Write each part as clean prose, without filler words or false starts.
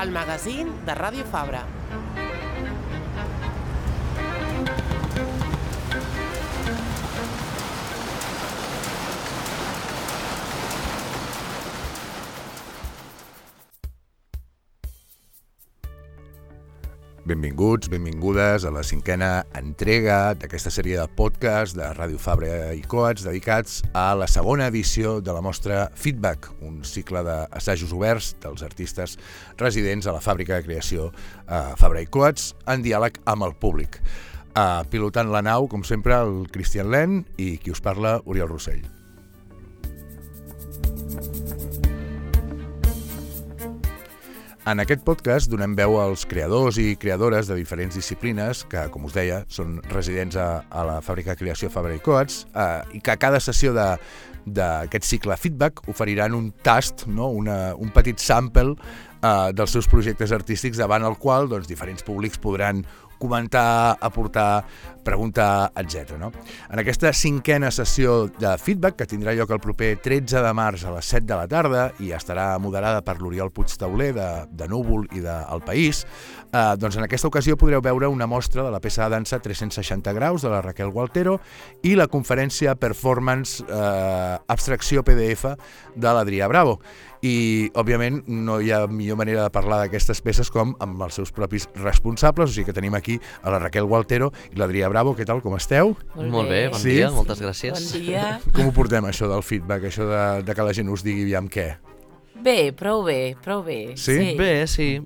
el magazín de Ràdio Fabra. Benvinguts, benvingudes a la 5a entrega d'aquesta sèrie de podcast de Ràdio Fabra i Coats dedicats a la segona edició de la mostra Feedback, un cicle d'assajos oberts dels artistes residents a la fàbrica de creació Fabra i Coats en diàleg amb el públic. Pilotant la nau, com sempre, el Cristian Len i qui us parla, Oriol Rossell. En aquest podcast donem veu als creadors i creadores de diferents disciplines que, com us deia, són residents a la fàbrica de creació Fabra i Coats i que a cada sessió d'aquest cicle feedback oferiran un tast, no? un petit sample dels seus projectes artístics davant el qual diferents públics podran comentar, aportar, preguntar, etc. No? En aquesta 5a sessió de feedback, que tindrà lloc el proper 13 de març a les 7 de la tarda i estarà moderada per l'Oriol Puigtauler de Núvol i d'El País, en aquesta ocasió podreu veure una mostra de la peça de dansa 360 graus de la Raquel Gualtero i la conferència Performance Abstracció PDF de l'Adrià Bravo. I, òbviament, no hi ha millor manera de parlar d'aquestes peces com amb els seus propis responsables, o sigui que tenim aquí a la Raquel Gualtero i l'Adrià Bravo. Què tal, com esteu? Molt bé, bon dia, moltes gràcies. Bon dia. Com ho portem, això del feedback, això de que la gent us digui aviam què? Bé, prou bé. Sí? Bé, sí.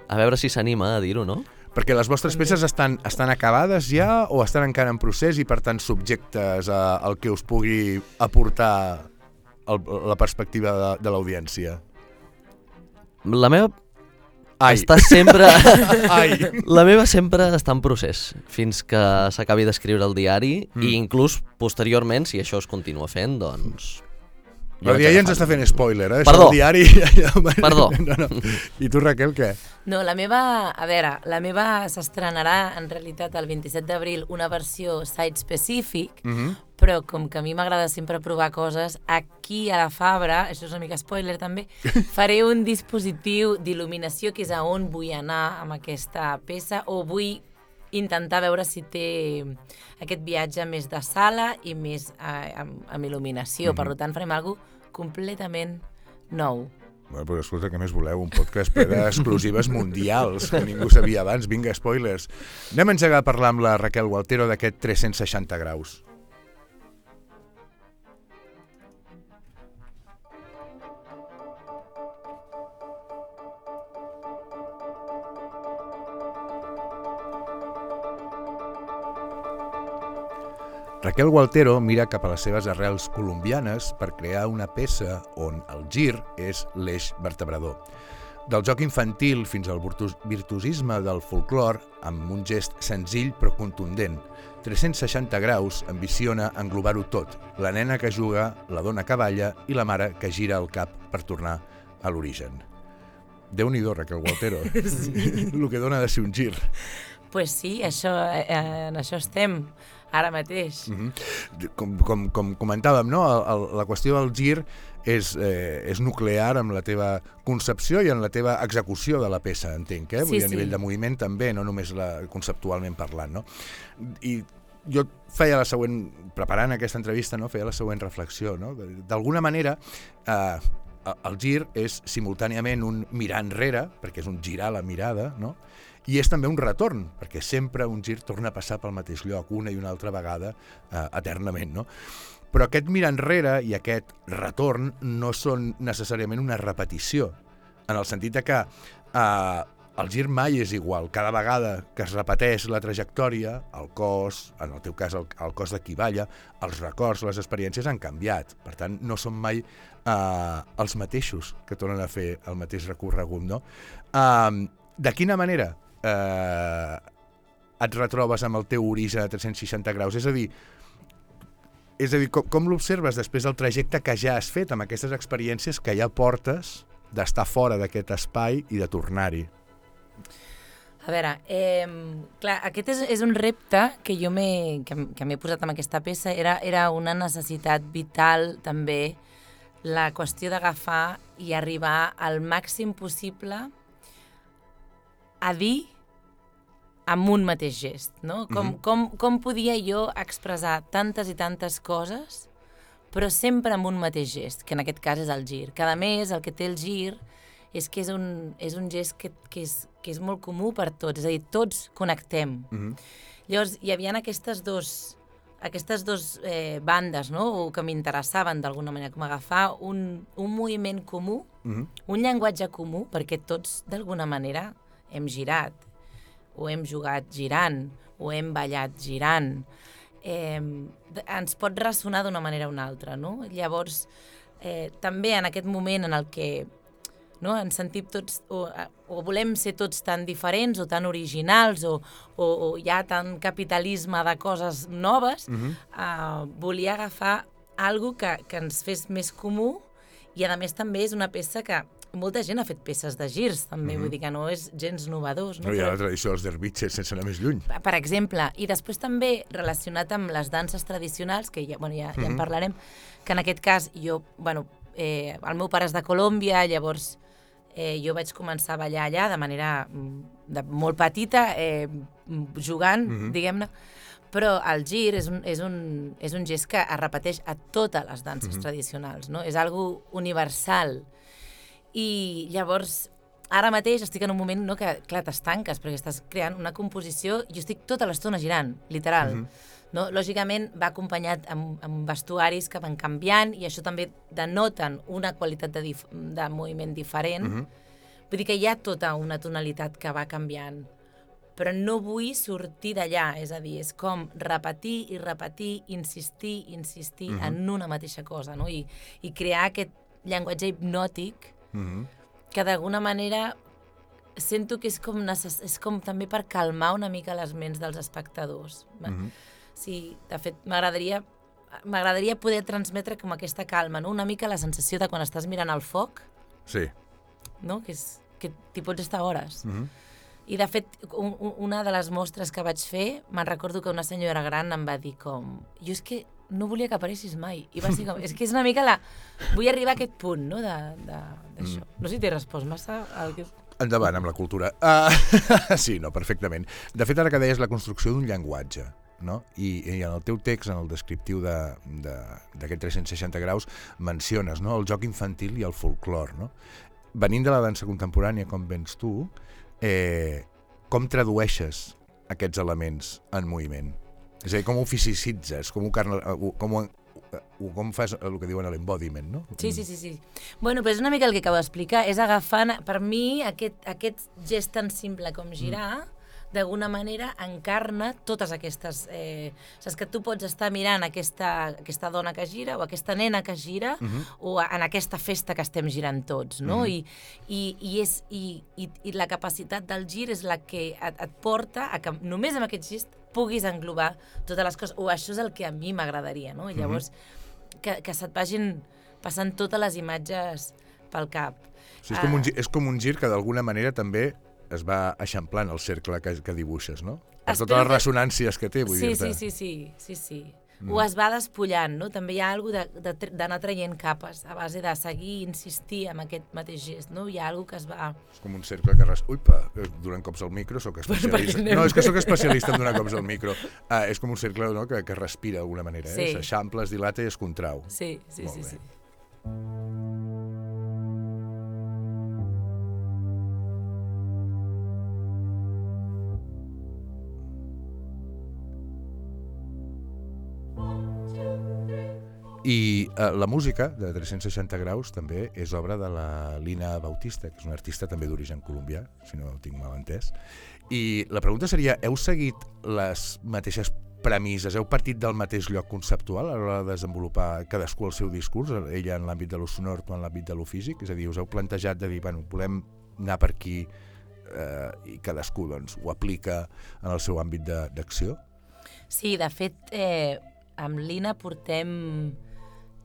A veure si s'anima a dir-ho, no? Perquè les vostres peces estan acabades ja o estan encara en procés i, per tant, subjectes al que us pugui aportar la perspectiva de l'audiència? La meva està sempre... La meva sempre està en procés, fins que s'acabi d'escriure el diari i inclús posteriorment, si això es continua fent, doncs... Però ja ens està fent spoiler, Perdó. Això del diari... Perdó. No. I tu, Raquel, què? No, la meva s'estrenarà en realitat el 27 d'abril una versió site-specific, però com que a mi m'agrada sempre provar coses, aquí a la Fabra, això és una mica spoiler també, faré un dispositiu d'il·luminació que és a on vull anar amb aquesta peça o vull intentar veure si té aquest viatge més de sala i més amb il·luminació. Per tant, farem alguna cosa completament nou. Bueno, però escolta, què més voleu? Un podcast ple d'exclusives mundials que ningú sabia abans. Vinga, spoilers. Anem a engegar a parlar amb la Raquel Gualtero d'aquest 360 graus. Raquel Gualtero mira cap a les seves arrels colombianes per crear una peça on el gir és l'eix vertebrador. Del joc infantil fins al virtuosisme del folklore, amb un gest senzill però contundent, 360 graus ambiciona englobar-ho tot, la nena que juga, la dona que balla i la mare que gira el cap per tornar a l'origen. Déu-n'hi-do, Raquel Gualtero, el que dona de ser un gir. Pues sí, en això estem ara mateix. Com comentàvem, no? La qüestió del gir és nuclear amb la teva concepció i en la teva execució de la peça, entenc, eh? Vull dir, a nivell de moviment també, no només conceptualment parlant, no? I jo feia preparant aquesta entrevista, no? Feia la següent reflexió, no? D'alguna manera, el gir és simultàniament un mirar enrere, perquè és un girar la mirada, no? I és també un retorn, perquè sempre un gir torna a passar pel mateix lloc, una i una altra vegada, eternament, no? Però aquest mirar enrere i aquest retorn no són necessàriament una repetició, en el sentit que el gir mai és igual. Cada vegada que es repeteix la trajectòria, el cos, en el teu cas el cos de qui balla, els records, les experiències han canviat. Per tant, no són mai els mateixos que tornen a fer el mateix recorregut, no? De quina manera et retrobes amb el teu origen a 360 graus? És a dir, com l'observes després del trajecte que ja has fet amb aquestes experiències que ja portes d'estar fora d'aquest espai i de tornar-hi? A veure, clar, aquest és un repte que jo m'he posat amb aquesta peça. Era una necessitat vital també la qüestió d'agafar i arribar al màxim possible a dir amb un mateix gest, no? Com podia jo expressar tantes i tantes coses, però sempre amb un mateix gest, que en aquest cas és el gir. Que a més, el que té el gir és que és un gest que és molt comú per tots, és a dir, tots connectem. Llavors, hi havia aquestes dos bandes, no? O que m'interessaven d'alguna manera, com agafar un moviment comú, un llenguatge comú, perquè tots d'alguna manera hem girat, o hem jugat girant, o hem ballat girant. Ens pot ressonar d'una manera o una altra, no? Llavors, també en aquest moment en el que ens sentim tots, o volem ser tots tan diferents o tan originals, o hi ha tant capitalisme de coses noves, volia agafar alguna que ens fes més comú, i a més també és una peça que molta gent ha fet peces de girs, també, vull dir que no és gens novedós. No hi ha la tradició dels dervitxes sense anar més lluny. Per exemple, i després també relacionat amb les danses tradicionals, que ja en parlarem, que en aquest cas el meu pare és de Colòmbia, llavors jo vaig començar a ballar allà de manera molt petita, jugant, diguem-ne, però el gir és un gest que es repeteix a totes les danses tradicionals, no? És algo universal. I llavors, ara mateix estic en un moment que, clar, t'estanques, perquè estàs creant una composició, jo estic tota l'estona girant, literal. No? Lògicament va acompanyat amb vestuaris que van canviant, i això també denoten una qualitat de moviment diferent. Vull dir que hi ha tota una tonalitat que va canviant, però no vull sortir d'allà, és a dir, és com repetir i repetir, insistir en una mateixa cosa, no? I crear aquest llenguatge hipnòtic que d'alguna manera sento que és com també per calmar una mica les ments dels espectadors. Sí, de fet, m'agradaria poder transmetre com aquesta calma, no? Una mica la sensació de quan estàs mirant el foc, no? Que t'hi pots estar hores. I de fet, una de les mostres que vaig fer, me'n recordo que una senyora gran em va dir com, jo és que no volia que apareixis mai. I va ser com, és que és una mica vull arribar a aquest punt, no?, d'això. No sé si t'he respost massa al que... Endavant amb la cultura. Sí, no, perfectament. De fet, ara que deies la construcció d'un llenguatge, no? I en el teu text, en el descriptiu d'aquest 360 graus, menciones, no?, el joc infantil i el folclor, no? Venint de la dansa contemporània, com vens tu, com tradueixes aquests elements en moviment? És a dir, com ho fisicitzes, com fas el que diuen l'embodiment, no? Sí. Bueno, però és una mica el que acabo d'explicar, és agafant, per mi, aquest gest tan simple com girar, d'alguna manera encarna totes aquestes... Saps que tu pots estar mirant aquesta dona que gira o aquesta nena que gira o en aquesta festa que estem girant tots, no? I la capacitat del gir és la que et porta a que només amb aquest gest puguis englobar totes les coses, o això és el que a mi m'agradaria, no? I llavors que se't vagin passant totes les imatges pel cap. Sí, és com un gir que d'alguna manera també es va eixamplant el cercle que dibuixes, no? Per totes les ressonàncies que té, vull dir-te. Sí. O es va despullant, no? També hi ha alguna cosa d'anar traient capes a base de seguir i insistir en aquest mateix gest, no? Hi ha alguna cosa que es va... És com un cercle que... Uipa, donant cops al micro, soc especialista. No, és que soc especialista en donar cops al micro. És com un cercle, no?, que respira d'alguna manera, s'eixampla, es dilata i es contrau. Sí. I la música de 360 graus també és obra de la Lina Bautista, que és una artista també d'origen colombià, si no ho tinc mal entès. I la pregunta seria, heu seguit les mateixes premisses, heu partit del mateix lloc conceptual a l'hora de desenvolupar cadascú el seu discurs, ella en l'àmbit de lo sonor, tu en l'àmbit de lo físic? És a dir, us heu plantejat de dir, bueno, volem anar per aquí i cadascú doncs, ho aplica en el seu àmbit d'acció? Sí, de fet, amb Lina portem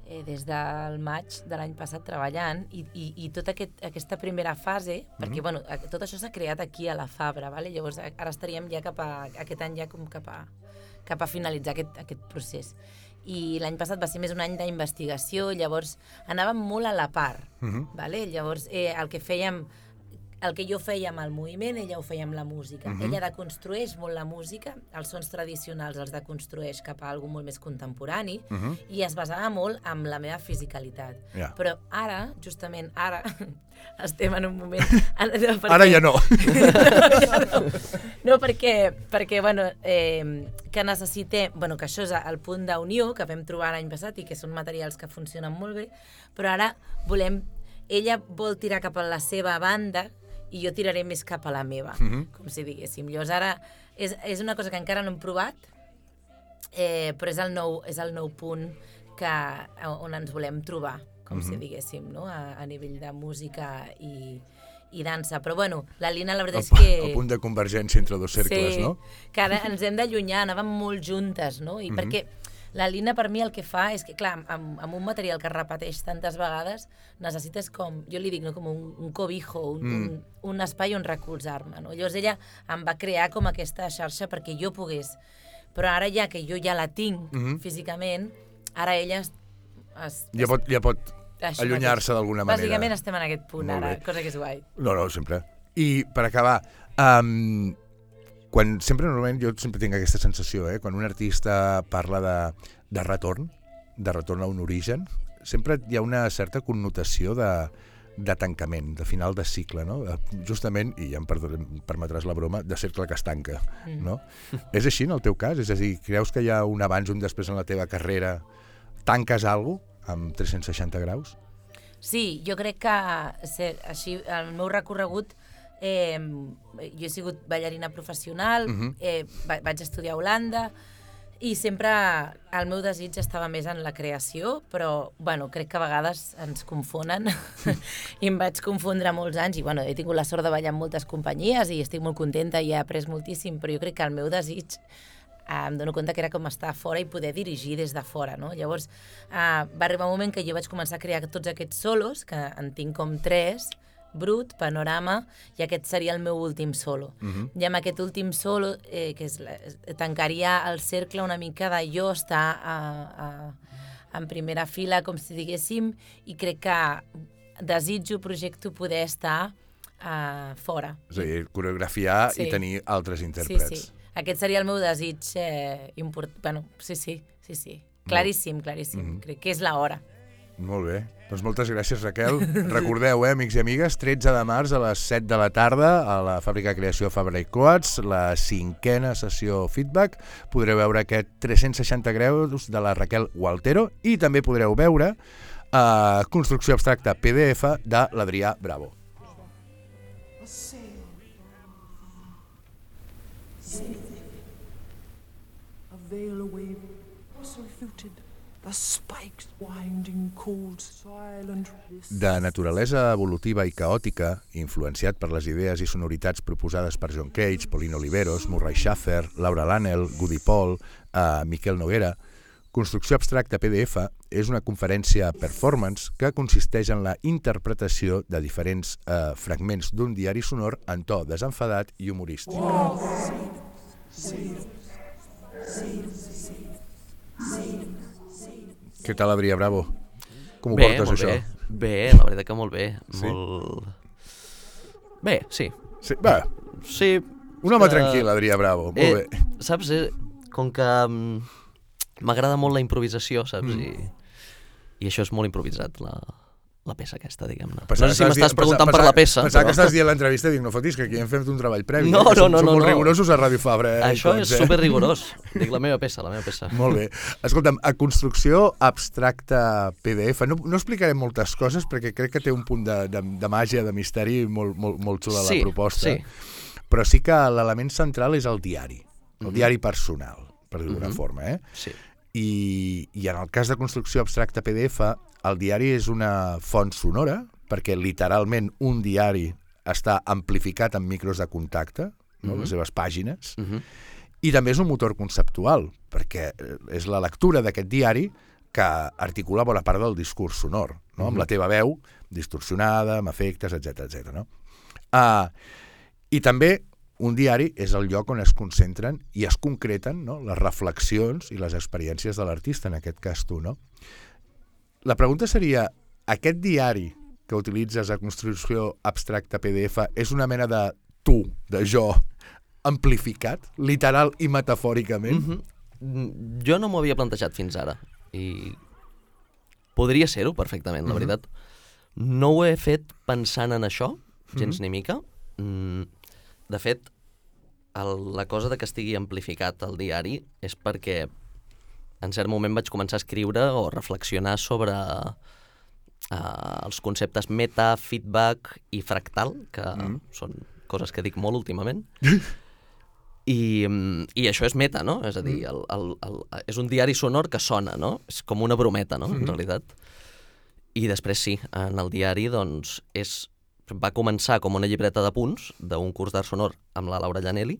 des del maig de l'any passat treballant i tota aquesta primera fase, perquè bueno, tot això s'ha creat aquí a la Fabra, vale? Llavors ara estaríem ja aquest any ja com cap a finalitzar aquest procés. I l'any passat va ser més un any d'investigació, llavors anàvem molt a la part, vale? Llavors el que fèiem el que jo feia amb el moviment, ella ho feia amb la música. Ella deconstrueix molt la música, els sons tradicionals els deconstrueix cap a alguna molt més contemporani, i es basava molt en la meva fisicalitat. Però ara, justament ara, estem en un moment... Ara ja no. No, perquè bueno, que necessitem... Bueno, que això és el punt d'unió que vam trobar l'any passat i que són materials que funcionen molt bé, però ara volem... Ella vol tirar cap a la seva banda i jo tiraré més cap a la meva, com si diguéssim. Llavors ara és una cosa que encara no hem provat, però és el nou punt on ens volem trobar, com si diguéssim, no? A nivell de música i dansa. Però bueno, la Lina la veritat és que... El punt de convergència entre dos cercles, no? Sí, que ara ens hem d'allunyar, anàvem molt juntes, no? I perquè la Lina per mi el que fa és que, clar, amb un material que es repeteix tantes vegades, necessites com, jo li dic, no, com un cobijo, un espai on recolzar-me, no? Llavors ella em va crear com aquesta xarxa perquè jo pogués. Però ara ja que jo ja la tinc físicament, ara ella ja pot allunyar-se d'alguna manera. Bàsicament estem en aquest punt ara, cosa que és guai. No, sempre. I per acabar, normalment jo sempre tinc aquesta sensació, quan un artista parla de retorn a un origen, sempre hi ha una certa connotació de tancament, de final de cicle, no? Justament, i ja em permetràs la broma, de cercle que es tanca, no? És així en el teu cas? És a dir, creus que hi ha un abans i un després en la teva carrera? Tanques alguna cosa amb 360 graus? Sí, jo crec que així el meu recorregut jo he sigut ballarina professional, vaig estudiar a Holanda i sempre el meu desig estava més en la creació, però bueno, crec que a vegades ens confonen i em vaig confondre molts anys i bueno, he tingut la sort de ballar en moltes companyies i estic molt contenta i he après moltíssim, però jo crec que el meu desig em dono compte que era com estar fora i poder dirigir des de fora, no? Llavors va arribar un moment que jo vaig començar a crear tots aquests solos, que en tinc com 3, Brut, Panorama, i aquest seria el meu últim solo. I amb aquest últim solo, que tancaria el cercle una mica de jo estar en primera fila, com si diguéssim, i crec que desitjo, projecto poder estar fora. És a dir, coreografiar i tenir altres intèrprets. Sí. Aquest seria el meu desig important. Bueno, sí. Claríssim. Crec que és l'hora. Molt bé. Doncs moltes gràcies, Raquel. Recordeu, amics i amigues, 13 de març a les 7 de la tarda a la Fàbrica de Creació Fabra i Coats, la 5a sessió Feedback. Podreu veure aquest 360 graus de la Raquel Gualtero i també podreu veure Construcció Abstracta PDF de l'Adrià Bravo. A veil away, bustle fluted. De naturalesa evolutiva i caòtica, influenciat per les idees i sonoritats proposades per John Cage, Pauline Oliveros, Murray Schafer, Laura Lannel, Goody Paul, Miquel Noguera, Construcció Abstracta PDF és una conferència performance que consisteix en la interpretació de diferents fragments d'un diari sonor en to desenfadat i humorístic. Què tal, Adrià Bravo? Com ho portes, això? Bé, la veritat que molt bé. Sí? Bé, sí. Sí. Un home tranquil, Adrià Bravo, molt bé. Saps, com que m'agrada molt la improvisació, saps? I això és molt improvisat, la peça aquesta, diguem-ne. No sé si m'estàs preguntant per la peça. Pensava que estàs dient l'entrevista i dic, no fotis, que aquí hem fet un treball previ. No. Som molt rigorosos a Ràdio Fabra. Això és superrigorós. Dic, la meva peça. Molt bé. Escolta'm, a Construcció Abstracta PDF, no explicaré moltes coses perquè crec que té un punt de màgia, de misteri molt xula la proposta. Sí. Però sí que l'element central és el diari. El diari personal, per dir-ho d'alguna forma. Sí. I en el cas de Construcció Abstracta PDF, el diari és una font sonora, perquè literalment un diari està amplificat amb micros de contacte, les seves pàgines, i també és un motor conceptual, perquè és la lectura d'aquest diari que articula bona part del discurs sonor, amb la teva veu distorsionada, amb efectes, etc. I també un diari és el lloc on es concentren i es concreten les reflexions i les experiències de l'artista, en aquest cas tu, no? La pregunta seria, aquest diari que utilitzes a construcció abstracta PDF és una mena de tu, de jo, amplificat, literal i metafòricament? Jo no m'ho havia plantejat fins ara i podria ser-ho perfectament, la veritat. No ho he fet pensant en això, gens ni mica. De fet, la cosa de que estigui amplificat el diari és perquè en cert moment vaig començar a escriure o reflexionar sobre els conceptes meta, feedback i fractal, que són coses que dic molt últimament. I això és meta, no? És a dir, és un diari sonor que sona, no? És com una brometa, no? En realitat. I després sí, en el diari, doncs, va començar com una llibreta de punts d'un curs d'art sonor amb la Laura Llanelli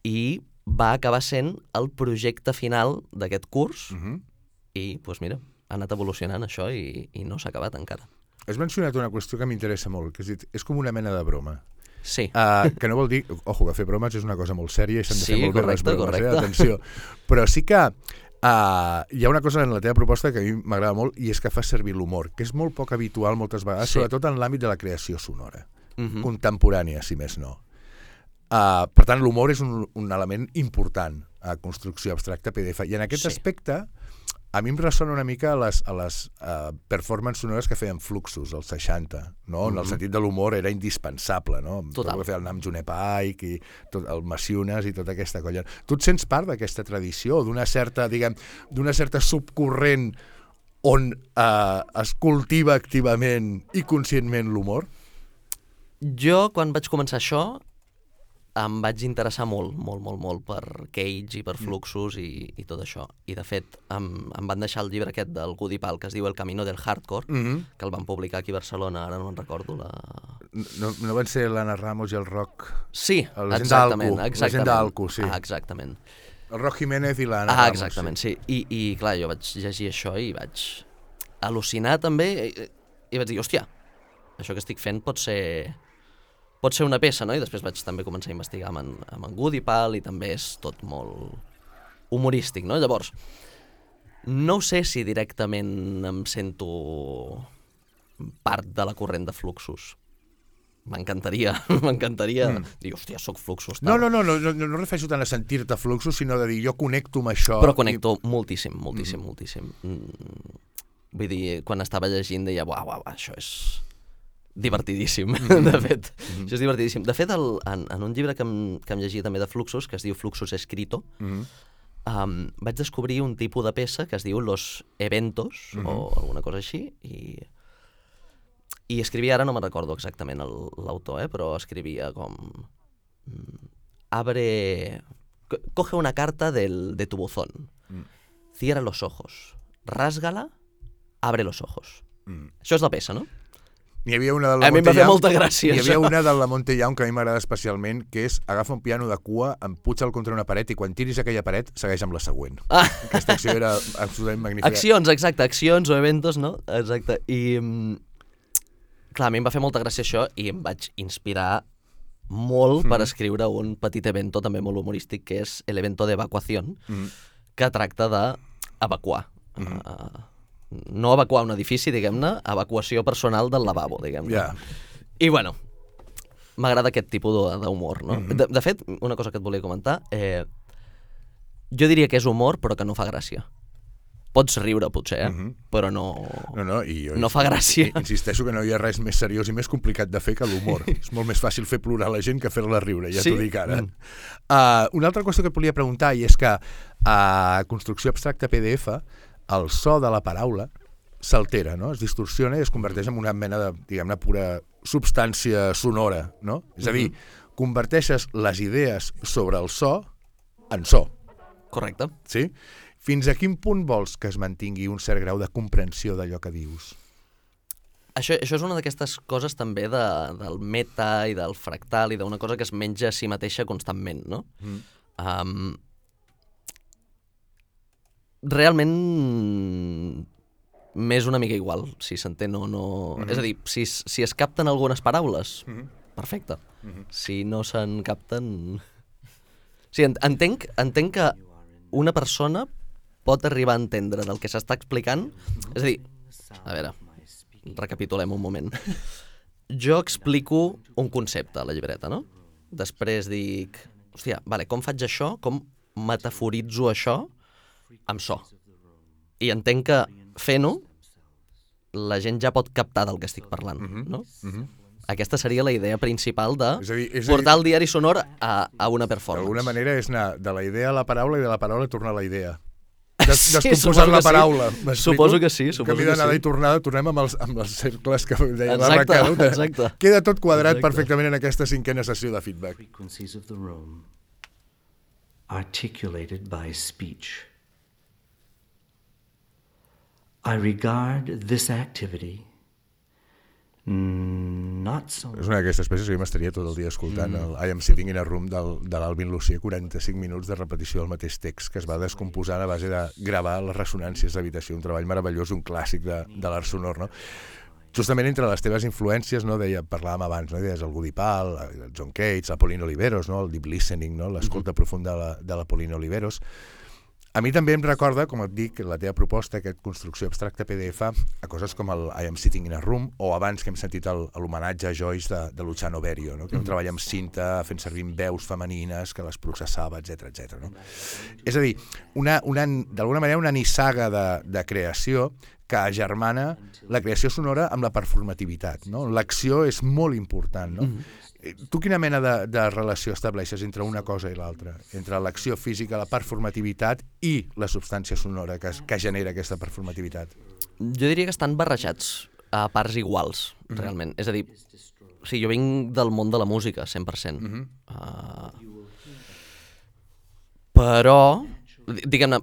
i va acabar sent el projecte final d'aquest curs i, doncs mira, ha anat evolucionant això i no s'ha acabat encara. Has mencionat una qüestió que m'interessa molt, que has dit, és com una mena de broma. Sí. Que no vol dir... Ojo, que fer bromes és una cosa molt sèria i s'han de fer molt bé les bromes, correcte. Atenció. Però sí que hi ha una cosa en la teva proposta que a mi m'agrada molt i és que fas servir l'humor, que és molt poc habitual moltes vegades, sobretot en l'àmbit de la creació sonora, contemporània, si més no. Per tant, l'humor és un element important a construcció abstracta PDF. I en aquest aspecte... A mi em ressona una mica a les performances sonores que feien Fluxus, als 60, no? En el sentit de l'humor era indispensable, no? Total. Tot el que feia el Nam June Paik i el Maciunes i tota aquesta colla. Tu et sents part d'aquesta tradició, d'una certa subcorrent on es cultiva activament i conscientment l'humor? Jo, quan vaig començar això, em vaig interessar molt per Cage i per Fluxus i tot això. I, de fet, em van deixar el llibre aquest del Goody Pal, que es diu El camino del hardcore, que el van publicar aquí a Barcelona, ara no me'n recordo. No van ser l'Anna Ramos i el Roc? Sí, exactament. La gent d'Alco, sí. Exactament. El Roc Jiménez i l'Anna Ramos. Exactament, sí. I, clar, jo vaig llegir això i vaig al·lucinar també i vaig dir, hòstia, això que estic fent pot ser una peça, no? I després vaig també començar a investigar amb en Goody Pal i també és tot molt humorístic, no? Llavors, no sé si directament em sento part de la corrent de Fluxus. M'encantaria dir, hòstia, soc Fluxus. Tal. No refereixo tant a sentir-te Fluxus, sinó de dir, jo connecto amb això. Però connecto moltíssim. Vull dir, quan estava llegint deia, uau, això és... divertidíssim, de fet. Això és divertidíssim. De fet, en un llibre que em llegia també de Fluxus, que es diu Fluxus Escrito, vaig descobrir un tipus de peça que es diu Los Eventos, o alguna cosa així, i escrivia, ara no me'n recordo exactament l'autor, però escrivia com... Coge una carta de tu buzón, cierra los ojos, rásgala, abre los ojos. Això és la peça, no? N'hi havia una de la a mi em va fer molta gràcia. N'hi havia una de la Monte Young que a mi m'agrada especialment, que és agafa un piano de cua, empuja-el contra una paret i quan tiris aquella paret segueix amb la següent. Aquesta acció era absolutament magnífica. Accions o eventos, no? Exacte. I, clar, a mi em va fer molta gràcia això i em vaig inspirar molt per escriure un petit evento també molt humorístic que és el evento de evacuación, que tracta d'evacuar. No evacuar un edifici, diguem-ne, evacuació personal del lavabo, diguem-ne. I, bueno, m'agrada aquest tipus d'humor, no? De fet, una cosa que et volia comentar, jo diria que és humor, però que no fa gràcia. Pots riure, potser, però no fa gràcia. Insisteixo que no hi ha res més seriós i més complicat de fer que l'humor. És molt més fàcil fer plorar la gent que fer-la riure, ja t'ho dic ara. Una altra qüestió que et volia preguntar, i és que a construcció abstracta PDF, el so de la paraula s'altera, no? Es distorsiona i es converteix en una mena de, diguem-ne, pura substància sonora, no? És a dir, converteixes les idees sobre el so en so. Correcte. Sí? Fins a quin punt vols que es mantingui un cert grau de comprensió d'allò que dius? Això és una d'aquestes coses també del meta i del fractal i d'una cosa que es menja a si mateixa constantment, no? Realment m'és una mica igual si s'entén o no... És a dir, si es capten algunes paraules, perfecte. Si no se'n capten... Sí, entenc que una persona pot arribar a entendre del que s'està explicant. És a dir, a veure, recapitulem un moment. Jo explico un concepte a la llibreta, no? Després dic, hòstia, vale, com faig això? Com metaforitzo això amb so? I entenc que fent-ho, la gent ja pot captar del que estic parlant, no? Aquesta seria la idea principal de portar el diari sonor a una performance. D'alguna manera és anar de la idea a la paraula i de la paraula a tornar a la idea. Descomposant la paraula. Suposo que sí. Canvi d'anada i tornada, tornem amb els cercles que deia la Exacte, Raquel. exacte. Queda tot quadrat perfectament en aquesta 5a sessió de feedback. Frequencies of the room, articulated by speech. I regard this activity not so... És una d'aquestes peces que jo m'estaria tot el dia escoltant el I Am Sitting in a Room de l'Alvin Lucier, 45 minuts de repetició del mateix text que es va descomposant a base de gravar les ressonàncies d'habitació, un treball meravellós, un clàssic de l'art sonor, no? Justament entre les teves influències, no, parlàvem abans, no, deies el Woody Paul, el John Cage, la Pauline Oliveros, no, el deep listening, no, l'escolta profunda de la Pauline Oliveros. A mi també em recorda, com et dic, la teva proposta, aquesta construcció abstracta PDF, a coses com el I Am Sitting in a Room, o abans que hem sentit l'homenatge a Joyce de Luciano Berio, no? Que un treball amb cinta, fent servir veus femenines, que les processava, etc. No? És a dir, d'alguna manera una nissaga de creació que agermana la creació sonora amb la performativitat, no? L'acció és molt important, no? Tu quina mena de relació estableixes entre una cosa i l'altra? Entre l'acció física, la performativitat i la substància sonora que genera aquesta performativitat? Jo diria que estan barrejats a parts iguals, realment. És a dir, jo vinc del món de la música, 100%. Però, diguem-ne,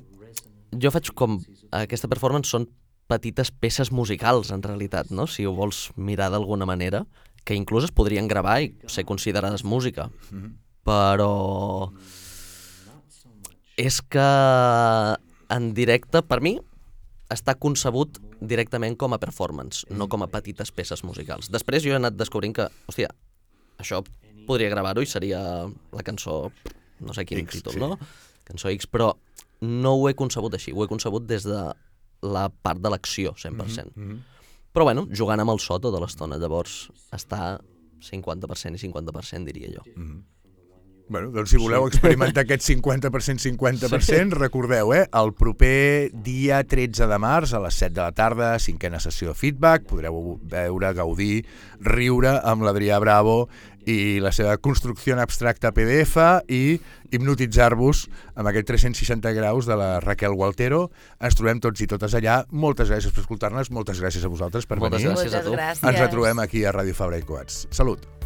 jo faig com... Aquesta performance són petites peces musicals, en realitat, no? Si ho vols mirar d'alguna manera, que inclús es podrien gravar i ser considerades música. Però és que en directe, per mi, està concebut directament com a performance, no com a petites peces musicals. Després jo he anat descobrint que, hòstia, això podria gravar-ho i seria la cançó, no sé quin títol, no? Cançó X, però no ho he concebut així, ho he concebut des de la part de l'acció, 100%. Però bueno, jugant amb el so tota l'estona, llavors està 50% i 50%, diria jo. Bueno, doncs si voleu experimentar aquest 50%, recordeu, el proper dia 13 de març a les 7 de la tarda, 5a sessió de feedback, podreu veure, gaudir, riure amb l'Adrià Bravo i la seva construcció abstracta PDF i hipnotitzar-vos amb aquest 360 graus de la Raquel Gualtero. Ens trobem tots i totes allà. Moltes gràcies per escoltar-nos, moltes gràcies a vosaltres per venir. Moltes gràcies a tu. Ens retrobem aquí a Ràdio Fabra i Coats. Salut!